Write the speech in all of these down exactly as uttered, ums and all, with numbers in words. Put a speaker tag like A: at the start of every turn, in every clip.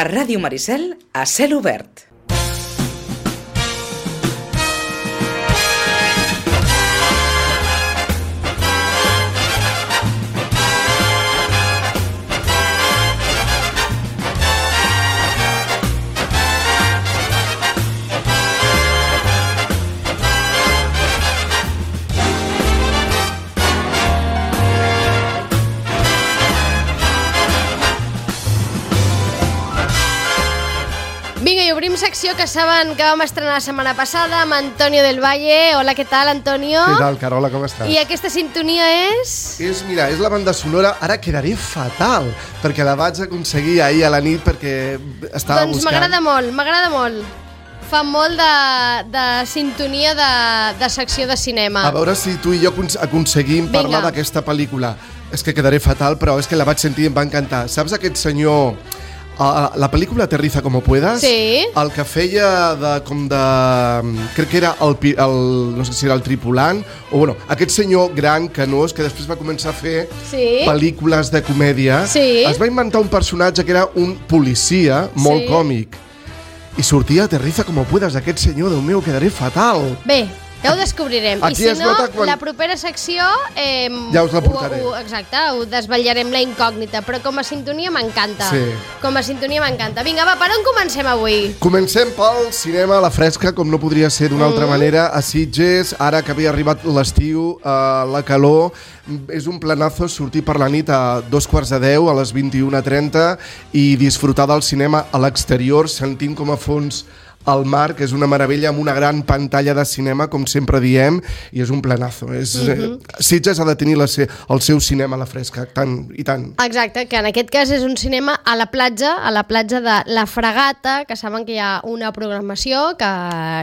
A: A Ràdio Maricel, a cel obert.
B: Vinga, i obrim secció que saben que vam estrenar la setmana passada amb Antonio del Valle. Hola, què tal, Antonio?
C: Què tal, Carola, com estàs?
B: I aquesta sintonia és...
C: És, mira, és la banda sonora. Ara quedaré fatal, perquè la vaig aconseguir ahir a la nit perquè estava
B: doncs
C: buscant...
B: Doncs m'agrada molt, m'agrada molt. Fa molt de, de sintonia de, de secció de cinema.
C: A veure si tu i jo aconseguim
B: Vinga.
C: parlar d'aquesta pel·lícula. És que quedaré fatal, però és que la vaig sentir i em va encantar. Saps aquest senyor... Uh, la pel·lícula Aterriza como puedas,
B: sí.
C: El que feia de, com de... Crec que era el, el, no sé si era el tripulant, o bueno, aquest senyor gran, canós, que després va començar a fer
B: sí.
C: pel·lícules de comèdia,
B: sí.
C: Es va inventar un personatge que era un policia molt
B: sí.
C: còmic. I sortia Aterriza como puedas, aquest senyor, Déu meu, quedaré fatal.
B: Bé, ja ho descobrirem.
C: Aquí
B: I si no,
C: quan...
B: la propera secció... Eh,
C: ja us la portaré.
B: Ho, ho, exacte, ho desvetllarem la incògnita, però com a sintonia m'encanta.
C: Sí.
B: Com a sintonia m'encanta. Vinga, va, per on comencem avui?
C: Comencem pel cinema a la fresca, com no podria ser d'una mm. altra manera, a Sitges, ara que havia arribat l'estiu, eh, la calor, és un planazo sortir per la nit a dos quarts de deu, a les vint-i-una trenta, i disfrutar del cinema a l'exterior, sentint com a fons el mar, que és una meravella, amb una gran pantalla de cinema, com sempre diem, i és un planazo. És, mm-hmm. Sitges ha de tenir la se, el seu cinema a la fresca, tant i tant.
B: Exacte, que en aquest cas és un cinema a la platja, a la platja de La Fragata, que saben que hi ha una programació que,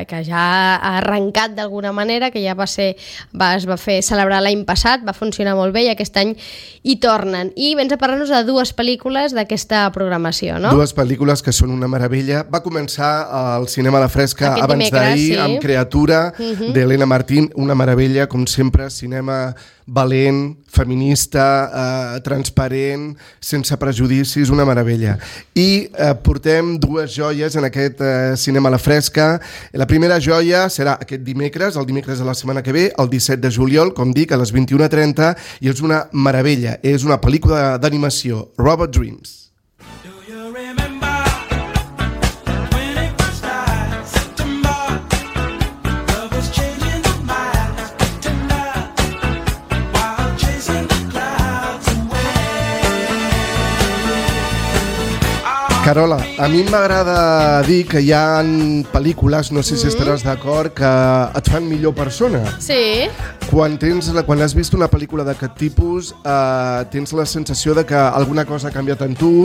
B: que ja ha arrencat d'alguna manera, que ja va ser, va, es va fer celebrar l'any passat, va funcionar molt bé i aquest any hi tornen. I vens a parlar-nos de dues pel·lícules d'aquesta programació, no?
C: Dues pel·lícules que són una meravella. Va començar el cinema a la fresca
B: aquest
C: abans d'ahir, sí. Amb Creatura, uh-huh. d'Helena Martín, una meravella, com sempre, cinema valent, feminista, eh, transparent, sense prejudicis, una meravella. I eh, portem dues joies en aquest eh, cinema a la fresca. La primera joia serà aquest dimecres, el dimecres de la setmana que ve, el disset de juliol, com dic, a les vint-i-una trenta, i és una meravella. És una pel·lícula d'animació, Robot Dreams. Carola, a mi m'agrada dir que hi ha pel·lícules, no sé si estaràs d'acord, que et fan millor persona.
B: Sí.
C: Quan, tens, quan has vist una pel·lícula d'aquest tipus, eh, tens la sensació de que alguna cosa ha canviat en tu,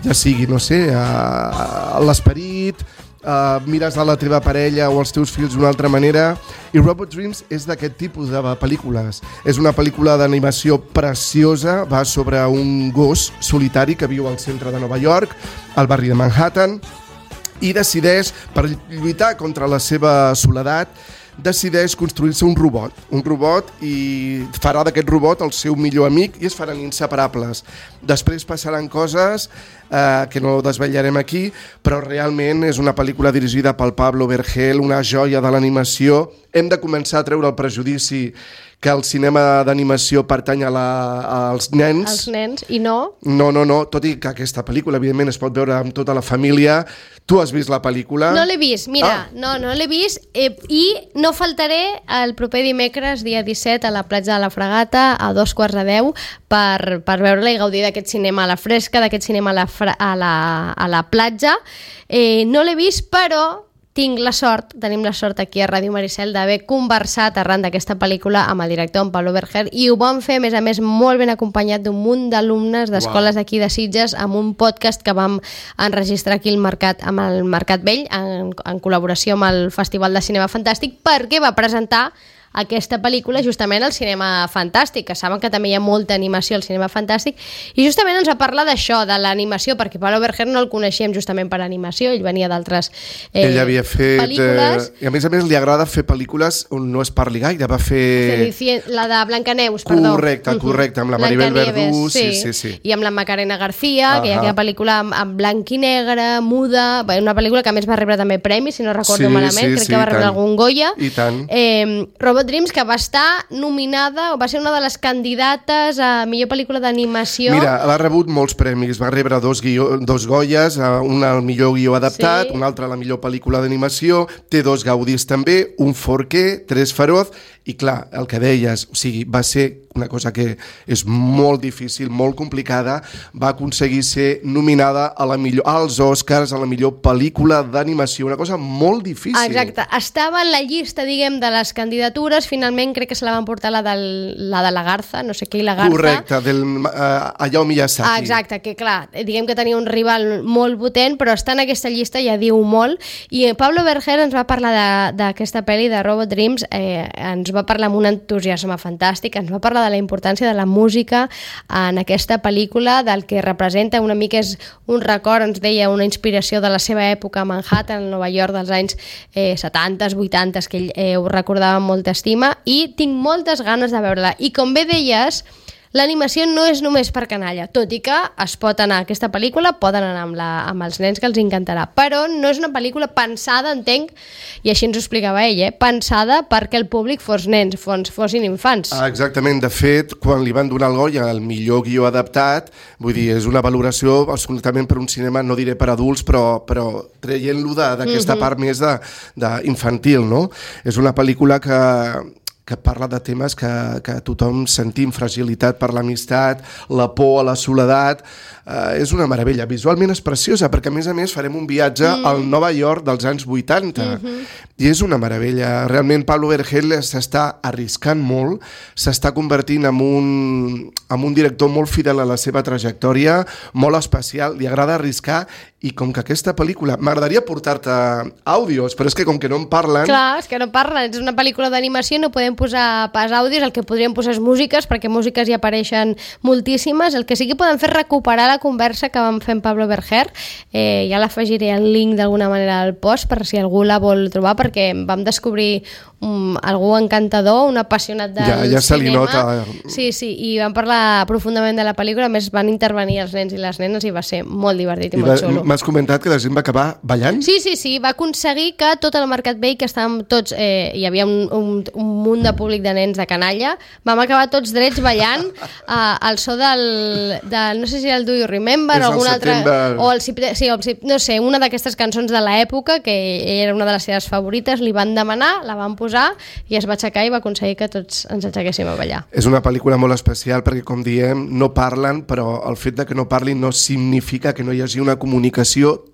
C: ja sigui, no sé, eh, l'esperit, eh, mires a la teva parella o els teus fills d'una altra manera, i Robot Dreams és d'aquest tipus de pel·lícules. És una pel·lícula d'animació preciosa, va sobre un gos solitari que viu al centre de Nova York, al barri de Manhattan, i decideix, per lluitar contra la seva soledat, decideix construir-se un robot, un robot i farà d'aquest robot el seu millor amic i es faran inseparables. Després passaran coses eh, que no desvetllarem aquí, però realment és una pel·lícula dirigida pel Pablo Vergel, una joia de l'animació. Hem de començar a treure el prejudici que el cinema d'animació pertany a la, als nens.
B: Els nens, i no?
C: No, no, no, tot i que aquesta pel·lícula, evidentment, es pot veure amb tota la família. Tu has vist la pel·lícula?
B: No l'he vist, mira,
C: ah.
B: no, no l'he vist, eh, i no faltaré el proper dimecres, dia disset, a la platja de la Fragata, a dos quarts de deu, per, per veure-la i gaudir d'aquest cinema a la fresca, d'aquest cinema a la, fra, a la, a la platja. Eh, no l'he vist, però tinc la sort, tenim la sort aquí a Ràdio Maricel d'haver conversat arran d'aquesta pel·lícula amb el director, amb Pablo Vergel, i ho vam fer, a més a més, molt ben acompanyat d'un munt d'alumnes d'escoles d'aquí de Sitges, amb un podcast que vam enregistrar aquí al Mercat, amb el Mercat Vell, en, en col·laboració amb el Festival de Cinema Fantàstic, perquè va presentar aquesta pel·lícula justament al cinema fantàstic, que saben que també hi ha molta animació al cinema fantàstic, i justament ens va parlar d'això, de l'animació, perquè Pablo Berger no el coneixíem justament per animació, ell venia d'altres eh,
C: ell havia fet,
B: pel·lícules.
C: Eh, I a més a més li agrada fer pel·lícules on no es parli gaire, va fer...
B: La de Blancaneus, perdó.
C: Correcte, correcte, amb la Maribel Verdú, sí, sí, sí.
B: I amb la Macarena García, uh-huh. que hi ha aquella pel·lícula en, en blanc i negre, muda, una pel·lícula que a més va rebre també premis, si no recordo
C: sí,
B: malament,
C: sí,
B: crec
C: sí,
B: que va rebre algun Goya.
C: I tant.
B: Eh, Robot Dreams, que va estar nominada, o va ser una de les candidates a millor pel·lícula d'animació.
C: Mira, ha rebut molts premis, va rebre dos, guió, dos Goyes, un al millor guió adaptat, sí. un altre a la millor pel·lícula d'animació, té dos Gaudís també, un Forqué, tres Feroz, i clar, el que deies, o sigui, va ser una cosa que és molt difícil, molt complicada, va aconseguir ser nominada a la millor, als Oscars a la millor pel·lícula d'animació, una cosa molt difícil.
B: Exacte, estava en la llista, diguem, de les candidatures, finalment crec que se la van portar la, del, la de la Garza, no sé què, i la Garza.
C: Correcte, del uh, Hayao Miyazaki.
B: Ah, exacte, que clar, diguem que tenia un rival molt potent, però està en aquesta llista, ja diu molt, i Pablo Berger ens va parlar d'aquesta pel·li de Robot Dreams, eh, ens va parlar amb un entusiasme fantàstic, ens va parlar de la importància de la música en aquesta pel·lícula, del que representa, una mica és un record, ens deia, una inspiració de la seva època a Manhattan, a Nova York, dels anys eh, setanta, vuitanta, que ell eh, ho recordava amb molta estima, i tinc moltes ganes de veure-la. I com bé deies, l'animació no és només per canalla, tot i que es pot anar a aquesta pel·lícula, poden anar amb, la, amb els nens, que els encantarà, però no és una pel·lícula pensada, entenc, i així ens ho explicava ell, eh, pensada perquè el públic fos nens, fos, fossin infants.
C: Ah, exactament, de fet, quan li van donar el Goya al millor guió adaptat, vull dir, és una valoració absolutament per un cinema, no diré per adults, però, però traient-lo d'aquesta mm-hmm. part més de, de infantil, no? És una pel·lícula que que parla de temes que, que tothom sentim, fragilitat per l'amistat, la por a la soledat. Eh, és una meravella. Visualment és preciosa, perquè a més a més farem un viatge mm. al Nova York dels anys vuitanta. Mm-hmm. I és una meravella. Realment Pablo Berger s'està arriscant molt, s'està convertint en un, en un director molt fidel a la seva trajectòria, molt especial, li agrada arriscar, i com que aquesta pel·lícula... M'agradaria portar-te àudios, però és que com que no en parlen...
B: Clar, és que no parlen. És una pel·lícula d'animació, no podem posar pas àudios, el que podríem posar és músiques, perquè músiques hi apareixen moltíssimes. El que sí que podem fer és recuperar la conversa que vam fer amb Pablo Berger. Eh, ja l'afegiré el link d'alguna manera al post, per si algú la vol trobar, perquè vam descobrir um, algú encantador, un apassionat del
C: ja, ja
B: cinema.
C: Se li nota.
B: Sí, sí, i vam parlar profundament de la pel·lícula, a més van intervenir els nens i les nenes i va ser molt divertit i, I molt
C: va,
B: xulo.
C: M'has comentat que la gent va acabar ballant?
B: Sí, sí, sí, va aconseguir que tot el Mercat Vell, que estàvem tots, eh, hi havia un, un, un munt de públic de nens de canalla, vam acabar tots drets ballant eh, al so del, del, no sé si era el Do You Remember o algun altre, o el, sí, el, no sé, una d'aquestes cançons de l'època, que era una de les seves favorites, li van demanar, la van posar i es va aixecar i va aconseguir que tots ens aixequéssim a ballar.
C: És una pel·lícula molt especial perquè, com diem, no parlen, però el fet de que no parlin no significa que no hi hagi una comunicació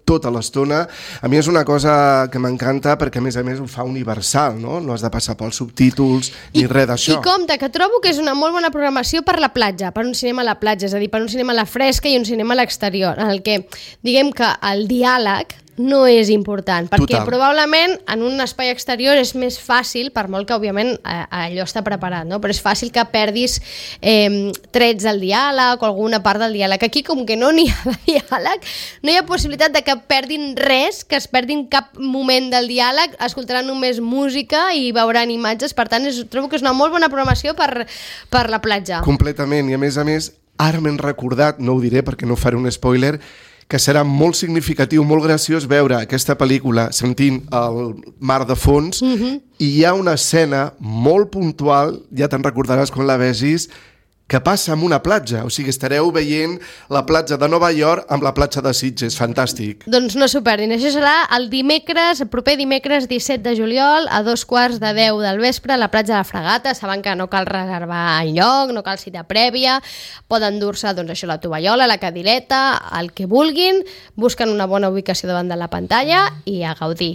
C: tota l'estona. A mi és una cosa que m'encanta perquè, a més a més, ho fa universal, no? No has de passar pels subtítols ni I, res d'això.
B: I compte, que trobo que és una molt bona programació per la platja, per un cinema a la platja, és a dir, per un cinema a la fresca i un cinema a l'exterior, en el que, diguem que el diàleg no és important, perquè Total. probablement en un espai exterior és més fàcil, per molt que òbviament allò està preparat, no? Però és fàcil que perdis eh, trets del diàleg o alguna part del diàleg. Aquí, com que no n'hi ha diàleg, no hi ha possibilitat de que perdin res, que es perdin cap moment del diàleg, escoltaran només música i veuran imatges, per tant és, trobo que és una molt bona programació per, per la platja.
C: Completament, i a més a més, ara m'he recordat, no ho diré perquè no faré un spoiler, que serà molt significatiu, molt graciós veure aquesta pel·lícula sentint el mar de fons, mm-hmm. i hi ha una escena molt puntual, ja te'n recordaràs quan la vegis, que passa en una platja, o sigui, estareu veient la platja de Nova York amb la platja de Sitges, fantàstic.
B: Doncs no s'ho perdin, això serà el dimecres, el proper dimecres disset de juliol, a dos quarts de deu del vespre, a la platja de la Fragata. Saben que no cal reservar enlloc, no cal cita prèvia, poden dur-se, doncs això, la tovallola, la cadireta, el que vulguin, busquen una bona ubicació davant de la pantalla i a gaudir.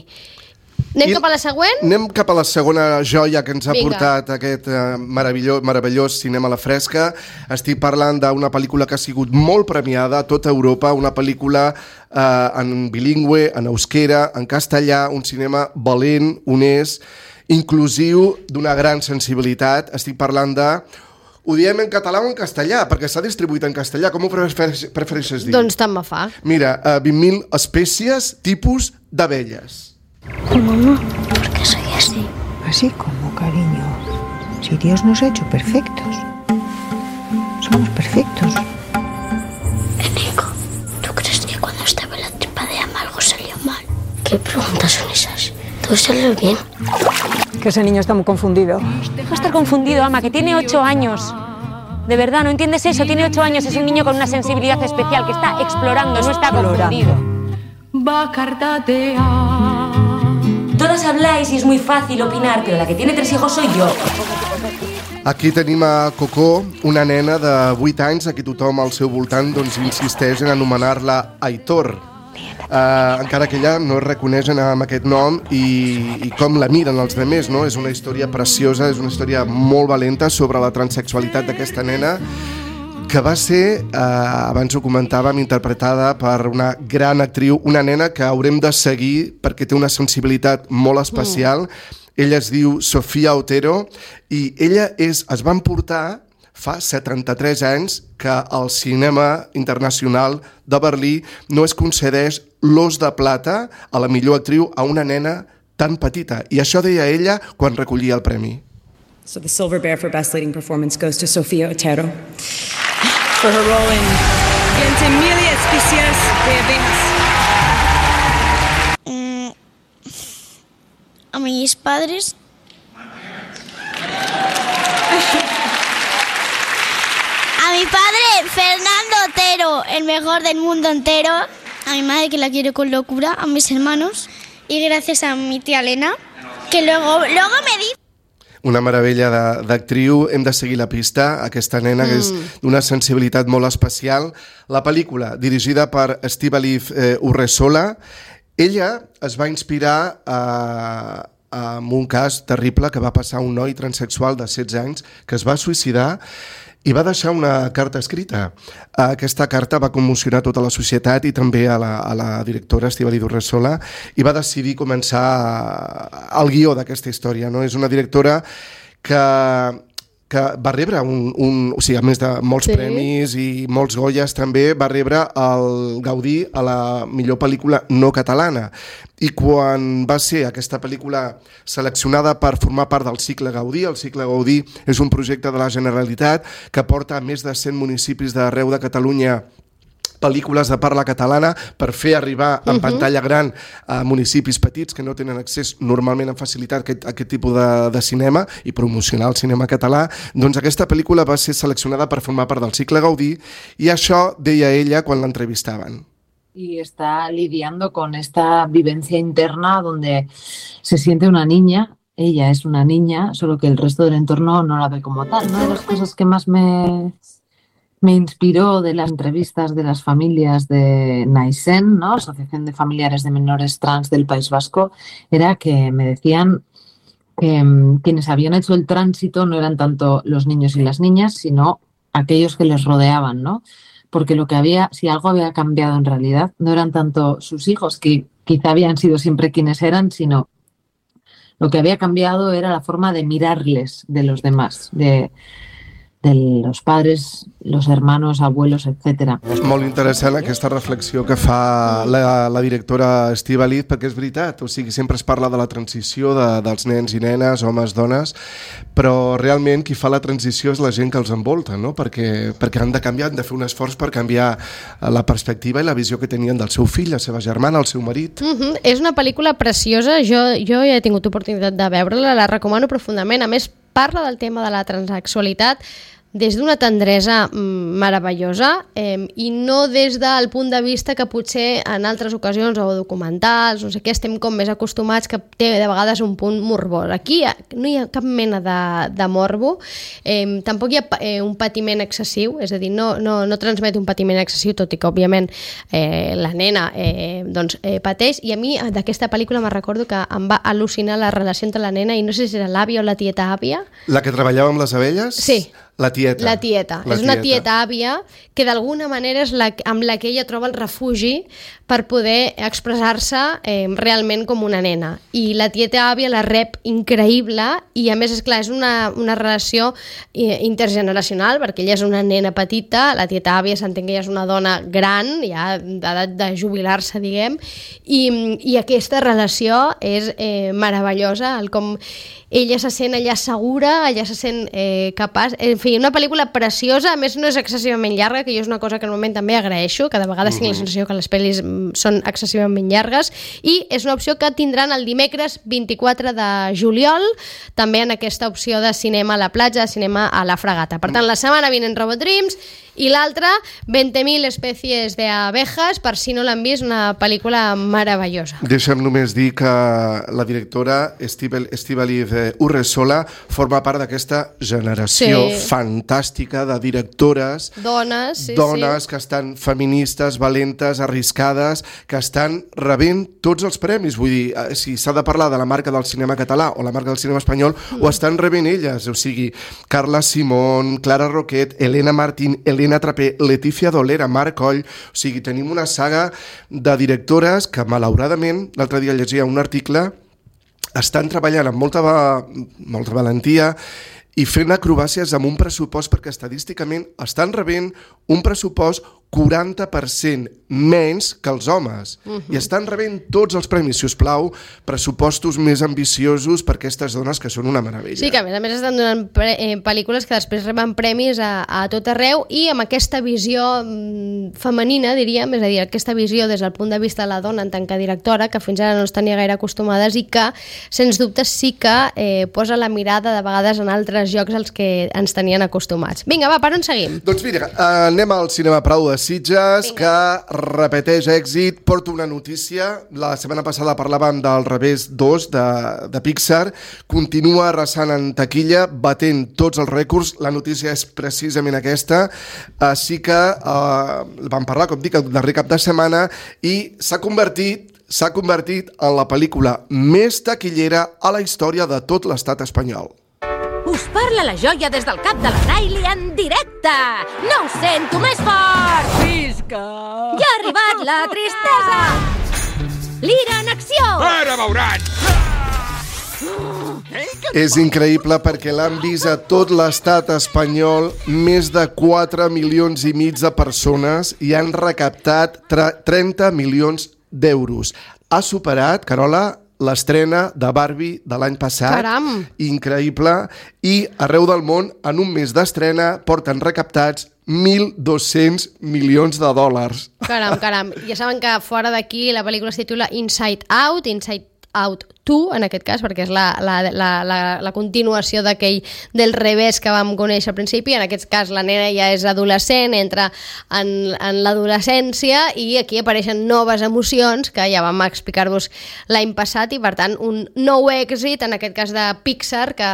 B: Anem I cap a la següent?
C: Anem cap a la segona joia que ens ha
B: Vinga.
C: portat aquest eh, meravellós, meravellós cinema a la fresca. Estic parlant d'una pel·lícula que ha sigut molt premiada a tota Europa, una pel·lícula eh, en bilingüe, en euskera, en castellà, un cinema valent, honest inclusiu, d'una gran sensibilitat. Estic parlant de... Ho diem en català o en castellà, perquè s'ha distribuït en castellà. Com ho prefereixes dir?
B: Doncs tant me fa.
C: Mira, uh, vint mil espècies, tipus d'abelles.
D: Mamá, ¿por qué soy así?
E: Así como, cariño. Si Dios nos ha hecho perfectos. Somos perfectos.
D: Enrico, ¿tú crees que cuando estaba en la tripa de Ama algo salió mal? ¿Qué preguntas son esas? ¿Todo salió bien?
E: Que ese niño está muy confundido.
F: Deja de estar confundido, Ama, que tiene ocho años. De verdad, ¿no entiendes eso? Tiene ocho años, es un niño con una sensibilidad especial que está explorando, no está confundido. Todas habláis y es muy fácil opinar, pero la que tiene tres hijos soy yo.
C: Aquí tenim a Coco, una nena de vuit anys a qui tothom al seu voltant doncs, insisteix en anomenar-la Aitor. Uh, encara que ella no es reconeix amb aquest nom i, i com la miren els demés, no? És una història preciosa, és una història molt valenta sobre la transsexualitat d'aquesta nena que va ser, eh, abans ho comentàvem, interpretada per una gran actriu, una nena que haurem de seguir perquè té una sensibilitat molt especial. Mm. Ella es diu Sofia Otero i ella és, es va emportar fa setanta-tres anys que el cinema internacional de Berlí no es concedeix l'Os de Plata a la millor actriu a una nena tan petita. I això deia ella quan recollia el premi.
G: So the Silver Bear for Best Leading Performance goes to Sofia Otero for her role in Ventimiglia Especies de Abejas.
D: Mm, a mis padres... A mi padre, Fernando Otero, el mejor del mundo entero. A mi madre, que la quiero con locura. A mis hermanos. Y gracias a mi tía Elena, que luego, luego me dice...
C: Una meravella d'actriu. Hem de seguir la pista. Aquesta nena, mm. que és d'una sensibilitat molt especial. La pel·lícula, dirigida per Estíbaliz eh, Urresola, ella es va inspirar a... en un cas terrible que va passar a un noi transsexual de setze anys que es va suïcidar i va deixar una carta escrita. Aquesta carta va commocionar tota la societat i també a la, a la directora Estíbaliz Urresola i va decidir començar el guió d'aquesta història. No? És una directora que... que va rebre un, un, o sigui, a més de molts sí. premis i molts Goyes també, va rebre el Gaudí a la millor pel·lícula no catalana. I quan va ser aquesta pel·lícula seleccionada per formar part del cicle Gaudí, el cicle Gaudí és un projecte de la Generalitat que porta a més de cent municipis d'arreu de Catalunya pel·lícules de parla catalana per fer arribar en uh-huh. pantalla gran a municipis petits que no tenen accés normalment amb facilitat a aquest, a aquest tipus de, de cinema i promocionar el cinema català. Doncs aquesta pel·lícula va ser seleccionada per formar part del cicle Gaudí i això deia ella quan l'entrevistaven.
H: Y está lidiando con esta vivencia interna donde se siente una niña. Ella es una niña, solo que el resto del entorno no la ve como tal. Una de las cosas que más me... me inspiró de las entrevistas de las familias de Naisen, ¿no? Asociación de Familiares de Menores Trans del País Vasco, era que me decían que um, quienes habían hecho el tránsito no eran tanto los niños y las niñas, sino aquellos que les rodeaban, ¿no? Porque lo que había, si algo había cambiado en realidad, no eran tanto sus hijos, que quizá habían sido siempre quienes eran, sino lo que había cambiado era la forma de mirarles de los demás, de... de los padres, los hermanos, abuelos, etcètera.
C: És molt interessant aquesta reflexió que fa la, la directora Estíbaliz, perquè és veritat, o sigui, sempre es parla de la transició de, dels nens i nenes, homes, dones, però realment qui fa la transició és la gent que els envolta, no? perquè, perquè han de canviar, han de fer un esforç per canviar la perspectiva i la visió que tenien del seu fill, la seva germana, el seu marit.
B: Uh-huh. És una pel·lícula preciosa, jo, jo ja he tingut oportunitat de veure-la, la recomano profundament, a més parla del tema de la transsexualitat des d'una tendresa meravellosa eh, i no des del punt de vista que potser en altres ocasions o documentals, no sé què, estem com més acostumats, que té de vegades un punt morbós. Aquí no hi ha cap mena de, de morbo, eh, tampoc hi ha eh, un patiment excessiu, és a dir, no, no, no transmet un patiment excessiu, tot i que òbviament eh, la nena eh, doncs, eh, pateix, i a mi d'aquesta pel·lícula me recordo que em va al·lucinar la relació entre la nena i no sé si era l'àvia o la tieta àvia.
C: La que treballava amb les abelles?
B: Sí.
C: La tieta.
B: La tieta.
C: La
B: és una
C: tieta.
B: tieta àvia que d'alguna manera és la, amb la que ella troba el refugi per poder expressar-se eh, realment com una nena. I la tieta àvia la rep increïble i a més, és clar, és una, una relació eh, intergeneracional, perquè ella és una nena petita, la tieta àvia s'entén que ella és una dona gran, ja d'edat de jubilar-se, diguem, i, i aquesta relació és eh, meravellosa, el com ella se sent allà segura, ella se sent eh, capaç... En fi, una pel·lícula preciosa, a més no és excessivament llarga, que jo és una cosa que normalment també agraeixo, que de vegades tinc la sensació que les pel·lis són excessivament llargues, i és una opció que tindran el dimecres vint-i-quatre de juliol, també en aquesta opció de cinema a la platja, cinema a la Fragata. Per tant, la setmana vinent Robot Dreams, i l'altra, veinte mil especies d'abejas, per si no l'han vist, una pel·lícula meravellosa.
C: Deixa'm només dir que la directora Estíbaliz Urresola forma part d'aquesta generació
B: Sí.
C: fantàstica de directores,
B: Dones, sí,
C: dones
B: sí.
C: que estan feministes, valentes, arriscades, que estan rebent tots els premis. Vull dir, eh, si s'ha de parlar de la marca del cinema català o la marca del cinema espanyol, mm. ho estan rebent elles. O sigui, Carla Simón, Clara Roquet, Elena Martín, Elena Trapé, Letícia Dolera, Marc Coll. O sigui, tenim una saga de directores que, malauradament, l'altre dia llegia un article, estan treballant amb molta, va, molta valentia i fent acrobàcies amb un pressupost, perquè estadísticament estan rebent un pressupost quaranta per cent menys que els homes. Uh-huh. I estan rebent tots els premis, si us plau, pressupostos més ambiciosos per aquestes dones que són una meravella.
B: Sí, que a més a més estan donant pre eh, pel·lícules que després reben premis a, a tot arreu i amb aquesta visió mm, femenina, diríem, és a dir, aquesta visió des del punt de vista de la dona en tant que directora, que fins ara no es tenia gaire acostumades i que, sens dubte, sí que eh, posa la mirada de vegades en altres llocs als que ens tenien acostumats. Vinga, va, per on seguim?
C: Doncs mira, anem al Cinema Prado de Sitges, que repeteix èxit. Porto una notícia. La setmana passada parlàvem del Revés dos de, de Pixar. Continua arrasant en taquilla, batent tots els rècords. La notícia és precisament aquesta. Així que eh, vam parlar, com dic, el darrer cap de setmana i s'ha convertit s'ha convertit en la pel·lícula més taquillera a la història de tot l'estat espanyol.
I: Us parla la joia des del cap de la Riley en directe! No ho sento més fort! Visca! Ja ha arribat la tristesa! L'ira en acció!
J: Ara veuran!
C: És increïble perquè l'han vist a tot l'estat espanyol més de quatre milions i mig de persones i han recaptat trenta milions d'euros. Ha superat, Carola, l'estrena de Barbie de l'any passat.
B: Caram!
C: Increïble. I arreu del món, en un mes d'estrena, porten recaptats mil dos-cents milions de dòlars.
B: Caram, caram. Ja saben que fora d'aquí la pel·lícula es titula Inside Out, Inside Out dos, en aquest cas, perquè és la, la, la, la, la continuació d'aquell del revés que vam conèixer al principi. En aquest cas la nena ja és adolescent, entra en, en l'adolescència i aquí apareixen noves emocions que ja vam explicar-vos l'any passat i per tant un nou èxit, en aquest cas de Pixar, que,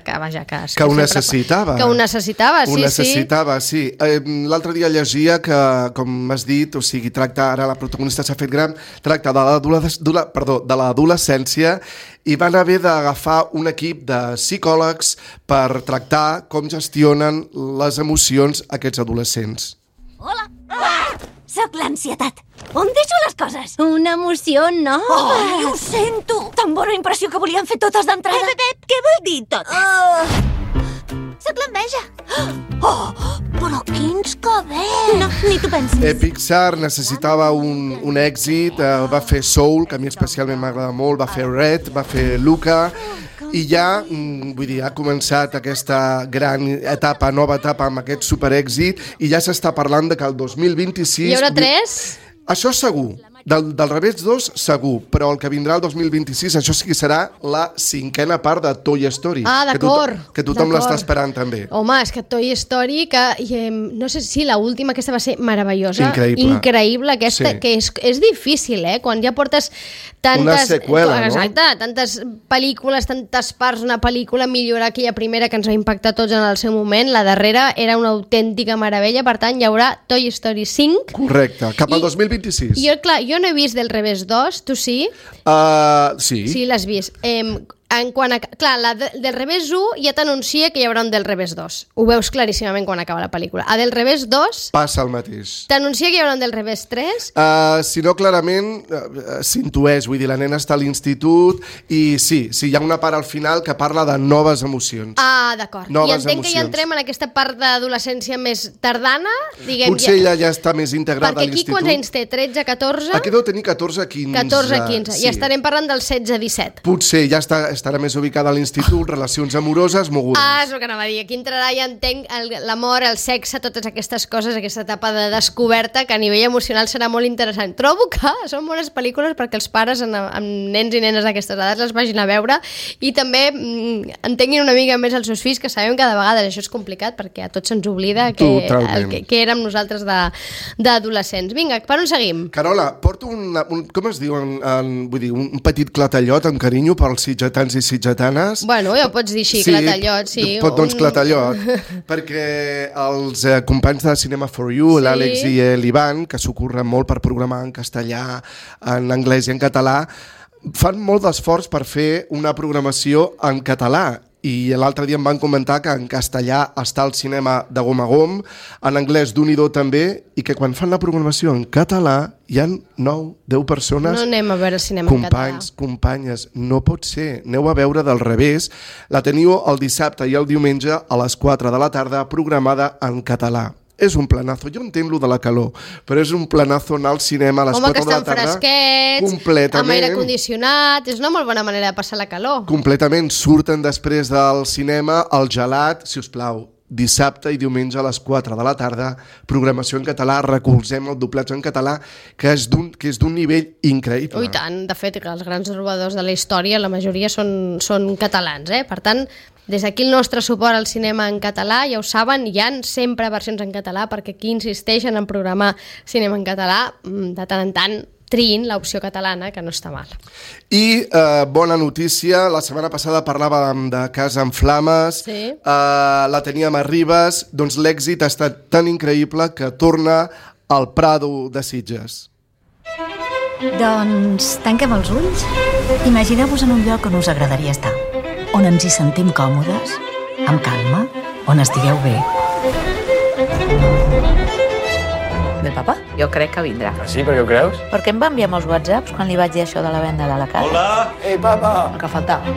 B: que vaja, que...
C: Que ho necessitava.
B: Que ho necessitava, sí,
C: ho necessitava, sí. sí. Eh, L'altre dia llegia que, com has dit, o sigui, tracta, ara la protagonista s'ha fet gran, tracta de l'adolescència i van haver d'agafar un equip de psicòlegs per tractar com gestionen les emocions aquests adolescents.
I: Hola! Ah! Soc l'ansietat. On deixo les coses? Una emoció nova. Ai, ho sento! Tan bona impressió que volien fer totes d'entrada. Pep, Pep, què vol dir totes? Uh... Soc l'enveja. Oh, però quins cabells! No, ni tu pensis.
C: Eh, Pixar necessitava un, un èxit, eh, va fer Soul, que a mi especialment m'agrada molt, va fer Red, va fer Luca, i ja, vull dir, ha començat aquesta gran etapa, nova etapa amb aquest superèxit, i ja s'està parlant de que el dos mil vint-i-sis...
B: Hi haurà tres?
C: Això segur. Del, del Revés dos, segur, però el que vindrà el dos mil vint-i-sis, això sí que serà la cinquena part de Toy Story.
B: Ah, d'acord.
C: Que, to que tothom l'està esperant també.
B: Home, és que Toy Story, que eh, no sé si l'última aquesta va ser meravellosa.
C: Increïble.
B: Increïble aquesta, sí. Que és, és difícil, eh? Quan ja portes tantes...
C: Una seqüela, no?
B: Exacte, tantes pel·lícules, tantes parts, una pel·lícula, millorar aquella primera que ens va impactar tots en el seu moment, la darrera era una autèntica meravella, per tant hi haurà Toy Story cinc.
C: Correcte, cap al I, dos mil vint-i-sis.
B: Jo, clar, jo no he vist del Revés dos, tu sí?
C: Uh, sí.
B: Sí, l'has vist. Eh, en quant a... Clar, la de, del revés u ja t'anuncia que hi haurà un del revés dos. Ho veus claríssimament quan acaba la pel·lícula. A del revés dos...
C: Passa el mateix.
B: T'anuncia que hi haurà un del revés tres?
C: Uh, si no, clarament uh, s'intueix. Vull dir, la nena està a l'institut i sí, sí, hi ha una part al final que parla de noves emocions.
B: Ah, d'acord. I entenc
C: emocions.
B: que ja entrem en aquesta part d'adolescència més tardana, diguem...
C: Potser
B: ja...
C: ella ja està més integrada a l'institut.
B: Perquè aquí quants anys té? tretze, catorze?
C: Aquí deu tenir catorze, quinze.
B: catorze, quinze.
C: Sí.
B: I estarem parlant del setze, disset.
C: Potser ja està, estarà més ubicada a l'institut, relacions amoroses, mogudes.
B: Ah, és el que anava a dir. Aquí entrarà, ja entenc, l'amor, el sexe, totes aquestes coses, aquesta etapa de descoberta que a nivell emocional serà molt interessant. Trobo que són bones pel·lícules perquè els pares amb, amb nens i nenes d'aquestes edats les vagin a veure i també mm, entenguin una mica més els seus fills, que sabem que de vegades això és complicat perquè a tots se'ns oblida que, el, que, que érem nosaltres d'adolescents. Vinga, per on seguim?
C: Carola, porto una, un, com es diu, en, en, vull dir, un petit clatallot amb carinyo pels sitgetans i sitgetanes.
B: Bueno, ja ho pots dir així, sí, clatallot, sí.
C: Pot, doncs, un... clatallot, perquè els eh, companys de Cinema for You, sí. l'Àlex i l'Ivan, que s'ocorren molt per programar en castellà, en anglès i en català, fan molt d'esforç per fer una programació en català. I l'altre dia em van comentar que en castellà està el cinema de gom a gom, en anglès d'un i do també, i que quan fan la programació en català hi ha nou, deu persones...
B: No anem a veure cinema
C: companys,
B: en català.
C: Companys, companyes, no pot ser. Aneu a veure del revés. La teniu el dissabte i el diumenge a les quatre de la tarda, programada en català. És un planazo. Jo entenc lo de la calor, però és un planazo anar al cinema a les
B: Home,
C: quatre de la tarda.
B: Home, que estan fresquets, amb aire condicionat, és una molt bona manera de passar la calor.
C: Completament. Surten després del cinema el gelat, si us plau, dissabte i diumenge a les quatre de la tarda, programació en català, recolzem el doblatge en català, que és d'un que és d'un nivell increïble.
B: Ui, tant. De fet, els grans robadors de la història, la majoria són, són catalans, eh? Per tant, des d'aquí el nostre suport al cinema en català, ja ho saben, hi ha sempre versions en català, perquè aquí insisteixen en programar cinema en català, de tant en tant triïn l'opció catalana, que no està mal.
C: I eh, bona notícia, la setmana passada parlàvem de Casa en Flames,
B: sí.
C: eh, la teníem a Ribes, doncs l'èxit ha estat tan increïble que torna al Prado de Sitges.
J: Doncs tanquem els ulls. Imagineu-vos en un lloc on us agradaria estar, on ens hi sentim còmodes, amb calma, on estigueu bé.
K: Del papa? Jo crec que vindrà.
L: Ah, sí? Per què ho creus?
K: Perquè em va enviar molts whatsapps quan li vaig dir això de la venda de la casa.
L: Hola! Ei, papa!
K: El que faltava.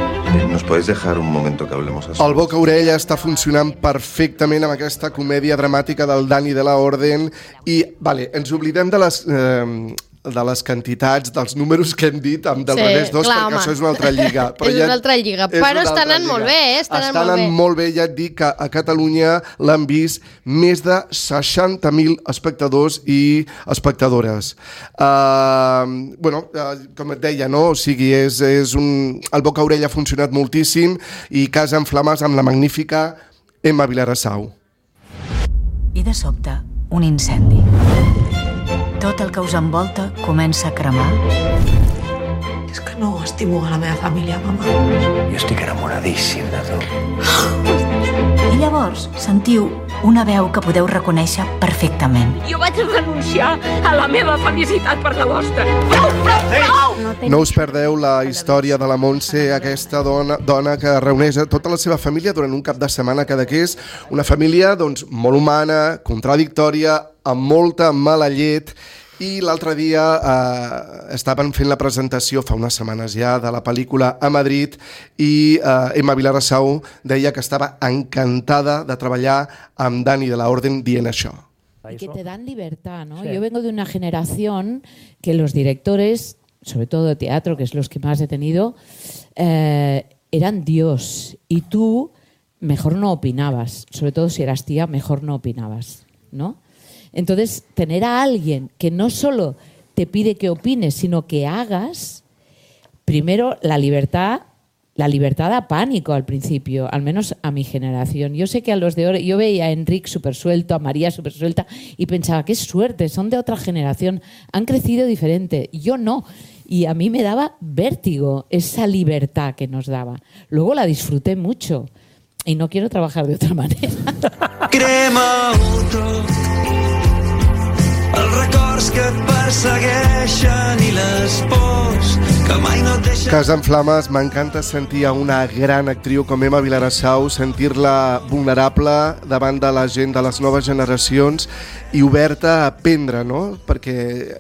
M: ¿Nos podéis dejar un momento que hablemos así?
C: El boca-orella està funcionant perfectament amb aquesta comèdia dramàtica del Dani de la Orden i, vale, ens oblidem de les... Eh, de les quantitats, dels números que hem dit amb del
B: sí,
C: revés dos,
B: clar,
C: perquè
B: home.
C: això és una altra lliga.
B: Però és ja, una altra lliga, però està anant molt bé, eh? Està anant molt bé.
C: molt bé, ja et dic que a Catalunya l'han vist més de seixanta mil espectadors i espectadores. Uh, bueno, uh, com et deia, no? O sigui, és, és un... el boca-orella ha funcionat moltíssim i Casa en Flames amb la magnífica Emma Vilarassau.
J: I de sobte, un incendi. Tot el que us envolta comença a cremar.
N: És que no estimo a la meva família, mama.
L: Jo estic enamoradíssim de tu.
J: I llavors sentiu una veu que podeu reconèixer perfectament.
N: Jo vaig renunciar a la meva felicitat per la vostra. Prou, prou, prou!
C: No, no us perdeu la història de la Montse, aquesta dona, dona que reuneix a tota la seva família durant un cap de setmana cada que és una família doncs, molt humana, contradictòria, amb molta mala llet. I l'altre dia eh, estaven fent la presentació, fa unes setmanes ja, de la pel·lícula a Madrid i eh, Emma Vilarassau deia que estaba encantada de treballar amb Dani de la Orden dient això.
O: Y que te dan libertad, ¿no? Sí. Yo vengo de una generación que los directores, sobre todo de teatro, que es los que más he tenido, eh, eran Dios. Y tú mejor no opinabas, sobre todo si eras tía, mejor no opinabas, ¿no? Entonces, tener a alguien que no solo te pide que opines, sino que hagas, primero la libertad, la libertad da pánico al principio, al menos a mi generación. Yo sé que a los de ahora, yo veía a Enric súper suelto, a María súper suelta y pensaba, qué suerte, son de otra generación, han crecido diferente. Yo no. Y a mí me daba vértigo esa libertad que nos daba. Luego la disfruté mucho y no quiero trabajar de otra manera.
P: Crema els records que et persegueixen i les pors que mai no et deixa...
C: Casa en flames, m'encanta sentir a una gran actriu com Emma Vilarasau, sentir-la vulnerable davant de la gent de les noves generacions i oberta a aprendre, no? Perquè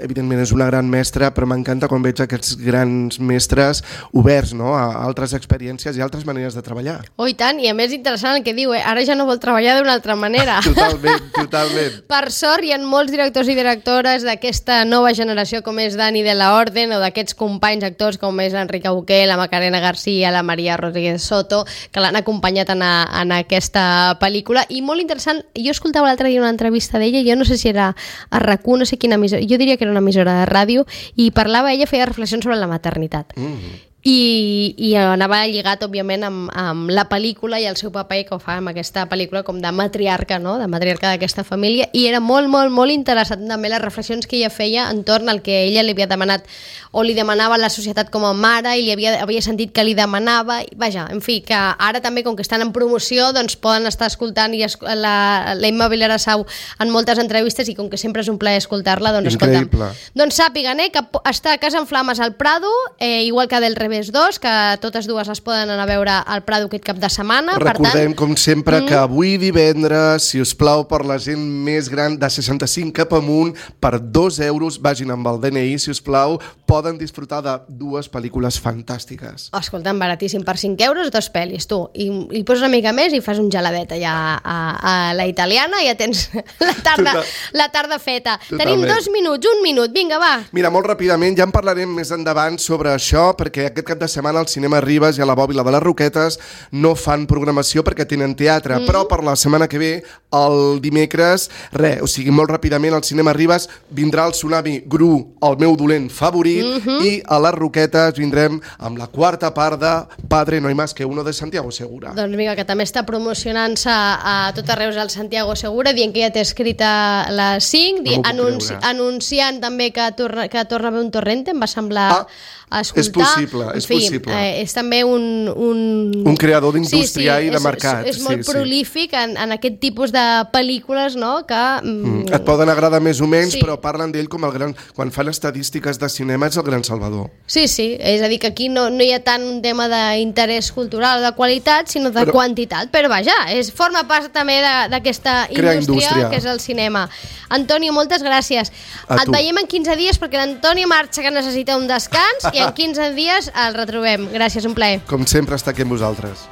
C: evidentment és una gran mestra, però m'encanta quan veig aquests grans mestres oberts, no? A altres experiències i altres maneres de treballar.
B: Oh, i tant, i a més interessant el que diu, eh? Ara ja no vol treballar d'una altra manera.
C: Totalment, totalment.
B: Per sort hi ha molts directors i directores d'aquesta nova generació com és Dani de la Orden o d'aquests companys actors com és l'Enrique Buqué, la Macarena García, la Maria Rodríguez Soto, que l'han acompanyat en, a, en aquesta pel·lícula. I molt interessant, jo escoltava l'altre dia una entrevista d'ella, jo no sé si era a RAC u, no sé quina emissora, jo diria que era una emissora de ràdio, i parlava, ella feia reflexions sobre la maternitat. Mm. I, i anava lligat, òbviament, amb, amb la pel·lícula i el seu paper que ho fa amb aquesta pel·lícula com de matriarca, no? De matriarca d'aquesta família, i era molt, molt, molt interessant també les reflexions que ella feia entorn al que ella li havia demanat o li demanava a la societat com a mare i li havia, havia sentit que li demanava, i, vaja, en fi, que ara també com que estan en promoció doncs poden estar escoltant i esc la, la Emma Vilarasau en moltes entrevistes, i com que sempre és un plaer escoltar-la, doncs
C: Increïble.
B: escolta'm. Doncs sàpiguen, eh, que està a Casa en Flames al Prado, eh, igual que del Revés dos, que totes dues es poden anar a veure al Prado aquest cap de setmana.
C: Recordem,
B: per tant,
C: com sempre,
B: mm.
C: que avui divendres, si us plau, per la gent més gran de seixanta-cinc cap amunt, per dos euros, vagin amb el D N I, si us plau, poden disfrutar de dues pel·lícules fantàstiques.
B: Escolta'm, baratíssim, per cinc euros, dos pel·lis, tu. I, i poses una mica més i fas un geladet allà a, a la italiana i ja tens la tarda,
C: Total.
B: la tarda feta.
C: Totalment.
B: Tenim dos minuts, un minut, vinga, va.
C: Mira, molt ràpidament, ja en parlarem més endavant sobre això, perquè aquest cap de setmana al Cinema Ribes i a la Bòbila de les Roquetes no fan programació perquè tenen teatre, mm. però per la setmana que ve, el dimecres, res, o sigui, molt ràpidament al Cinema Ribes vindrà el Tsunami Gru, el meu dolent favorit, mm -hmm. i a les Roquetes vindrem amb la quarta part de Padre no hay más que uno de Santiago Segura.
B: Doncs vinga, que també està promocionant-se a tot arreu al Santiago Segura, dient que ja té escrita les cinc,
C: No
B: anunci anunciant també que torna, que torna a haver un Torrente, em va semblar...
C: Ah.
B: A escoltar.
C: És possible, és
B: en fi,
C: possible.
B: Eh, és també un... Un,
C: un creador d'indústria
B: sí, sí,
C: i de
B: és,
C: mercat.
B: És, és molt
C: sí,
B: prolífic sí. en, en aquest tipus de pel·lícules, no?, que... Mm,
C: mm. Et poden agradar més o menys,
B: sí.
C: però parlen d'ell com el gran... Quan fan estadístiques de cinema és el gran salvador.
B: Sí, sí, és a dir, que aquí no, no hi ha tant un tema d'interès cultural o de qualitat, sinó de però, quantitat, però vaja, és, forma part també d'aquesta indústria, indústria que és el cinema. Antonio, moltes gràcies.
C: A
B: Et
C: tu.
B: veiem en quinze dies perquè l'Antonio marxa, que necessita un descans, i en quinze dies el retrobem. Gràcies, un plaer.
C: Com sempre, està aquí amb vosaltres.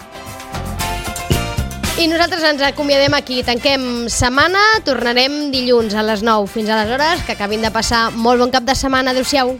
B: I nosaltres ens acomiadem aquí. Tanquem setmana, tornarem dilluns a les nou. Fins aleshores, que acabin de passar molt bon cap de setmana. Adéu-siau.